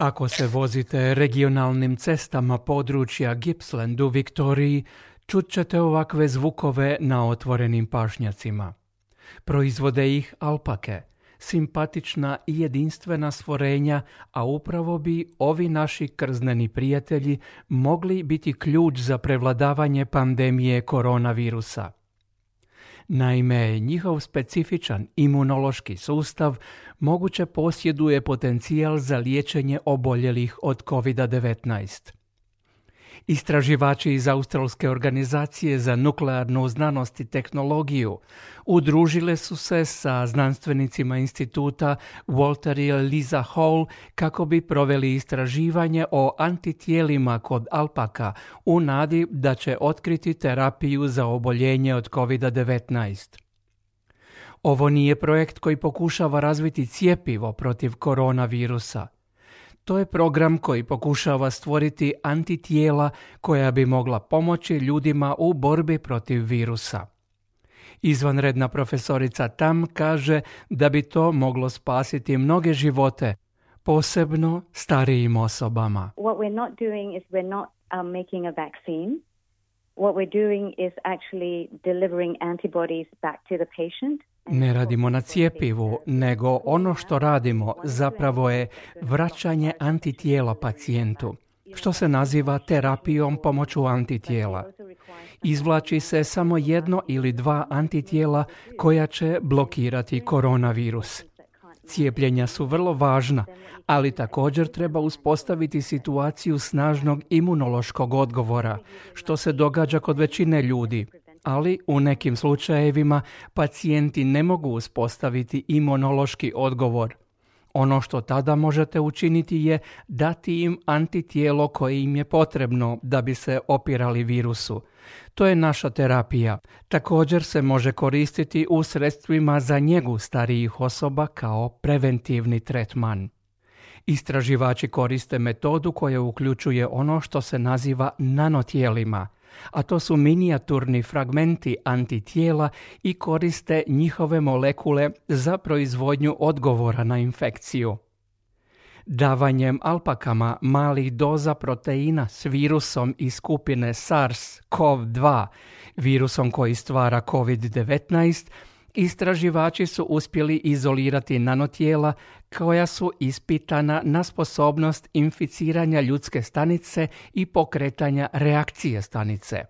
Ako se vozite regionalnim cestama područja Gippsland u Viktoriji, čut ćete ovakve zvukove na otvorenim pašnjacima. Proizvode ih alpake, simpatična i jedinstvena stvorenja, a upravo bi ovi naši krzneni prijatelji mogli biti ključ za prevladavanje pandemije koronavirusa. Naime, njihov specifičan imunološki sustav moguće posjeduje potencijal za liječenje oboljelih od COVID-19. Istraživači iz Australske organizacije za nuklearnu znanost i tehnologiju udružile su se sa znanstvenicima instituta Walter i Liza Hall kako bi proveli istraživanje o antitijelima kod alpaka u nadi da će otkriti terapiju za oboljenje od COVID-19. Ovo nije projekt koji pokušava razviti cjepivo protiv koronavirusa. To je program koji pokušava stvoriti antitijela koja bi mogla pomoći ljudima u borbi protiv virusa. Izvanredna profesorica Tam kaže da bi to moglo spasiti mnoge živote, posebno starijim osobama. What we're not doing is we're not making a vaccine. What we're doing is actually delivering antibodies back to the patient. Ne radimo na cjepivu, nego ono što radimo zapravo je vraćanje antitijela pacijentu, što se naziva terapijom pomoću antitijela. Izvlači se samo 1 ili 2 antitijela koja će blokirati koronavirus. Cijepljenja su vrlo važna, ali također treba uspostaviti situaciju snažnog imunološkog odgovora, što se događa kod većine ljudi. Ali u nekim slučajevima pacijenti ne mogu uspostaviti imunološki odgovor. Ono što tada možete učiniti je dati im antitijelo koje im je potrebno da bi se opirali virusu. To je naša terapija. Također se može koristiti u sredstvima za njegu starijih osoba kao preventivni tretman. Istraživači koriste metodu koja uključuje ono što se naziva nanotijelima, a to su minijaturni fragmenti antitijela i koriste njihove molekule za proizvodnju odgovora na infekciju. Davanjem alpakama malih doza proteina s virusom iz skupine SARS-CoV-2, virusom koji stvara COVID-19, istraživači su uspjeli izolirati nanotijela koja su ispitana na sposobnost inficiranja ljudske stanice i pokretanja reakcije stanice.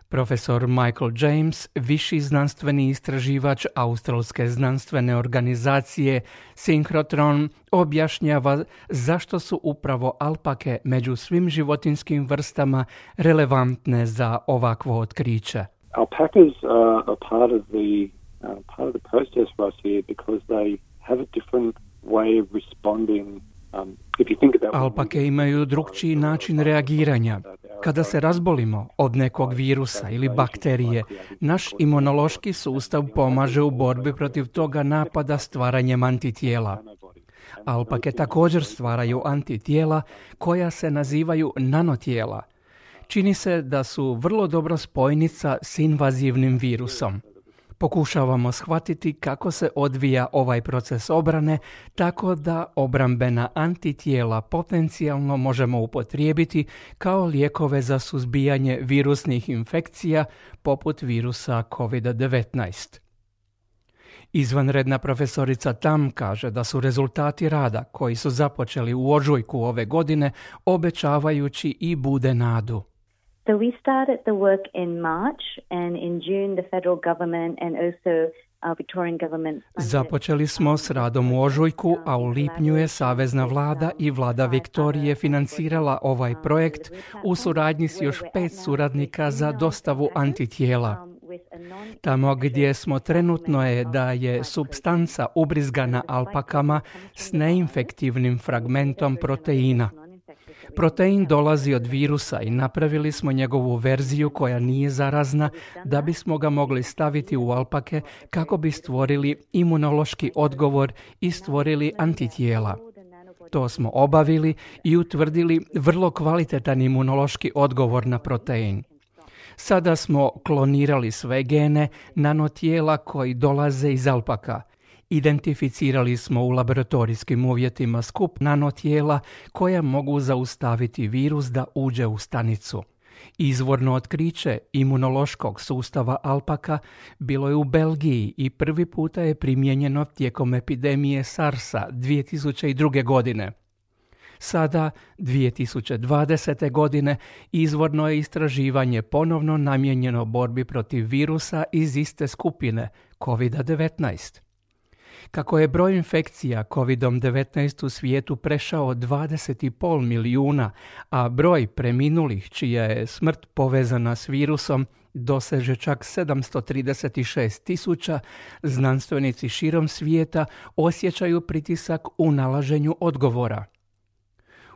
Profesor Michael James, viši znanstveni istraživač Australske znanstvene organizacije Synchrotron, objašnjava zašto su upravo alpake među svim životinjskim vrstama relevantne za ovakvo otkriće. Alpacas are part of the process for us here because they have a different way of responding. Alpake imaju drukčiji način reagiranja. Kada se razbolimo od nekog virusa ili bakterije, naš imunološki sustav pomaže u borbi protiv toga napada stvaranjem antitijela. Alpake također stvaraju antitijela koja se nazivaju nanotijela. Čini se da su vrlo dobro spojnica s invazivnim virusom. Pokušavamo shvatiti kako se odvija ovaj proces obrane, tako da obrambena antitijela potencijalno možemo upotrijebiti kao lijekove za suzbijanje virusnih infekcija poput virusa COVID-19. Izvanredna profesorica Tam kaže da su rezultati rada koji su započeli u ožujku ove godine obećavajući i bude nadu. So we started the work in March, and in June the federal government and also Victorian government. Započeli smo s radom u ožujku, a u lipnju je Savezna vlada i vlada Viktorije financirala ovaj projekt u suradnji s još 5 suradnika za dostavu antitijela. Tamo gdje smo trenutno je da je supstanca ubrizgana alpakama s neinfektivnim fragmentom proteina. Protein dolazi od virusa i napravili smo njegovu verziju koja nije zarazna da bismo ga mogli staviti u alpake kako bi stvorili imunološki odgovor i stvorili antitijela. To smo obavili i utvrdili vrlo kvalitetan imunološki odgovor na protein. Sada smo klonirali sve gene nanotijela koji dolaze iz alpaka Identificirali smo u laboratorijskim uvjetima skup nanotijela koja mogu zaustaviti virus da uđe u stanicu. Izvorno otkriće imunološkog sustava alpaka bilo je u Belgiji i prvi puta je primijenjeno tijekom epidemije SARS-a 2002. godine. Sada, 2020. godine, izvorno je istraživanje ponovno namijenjeno borbi protiv virusa iz iste skupine, COVID-19. Kako je broj infekcija COVID-19 u svijetu prešao 20,5 milijuna, a broj preminulih čija je smrt povezana s virusom doseže čak 736.000, znanstvenici širom svijeta osjećaju pritisak u nalaženju odgovora.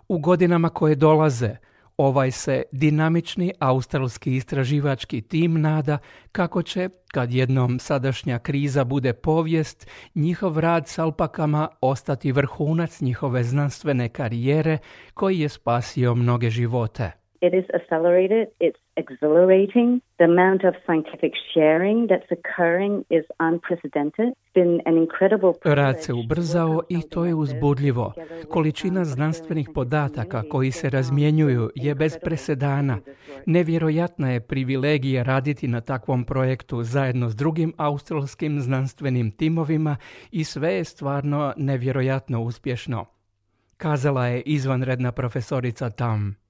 U godinama koje dolaze, ovaj se dinamični australski istraživački tim nada kako će, kad jednom sadašnja kriza bude povijest, njihov rad s alpakama ostati vrhunac njihove znanstvene karijere koji je spasio mnoge živote. It is accelerated, it's exhilarating. The amount of scientific sharing that's occurring is unprecedented. It's been an incredible Rad se ubrzao i to je uzbudljivo. Količina znanstvenih podataka koji se razmjenjuju je bez presedana. Nevjerojatna je privilegija raditi na takvom projektu zajedno s drugim australskim znanstvenim timovima i sve je stvarno nevjerojatno uspješno, kazala je izvanredna profesorica Tam.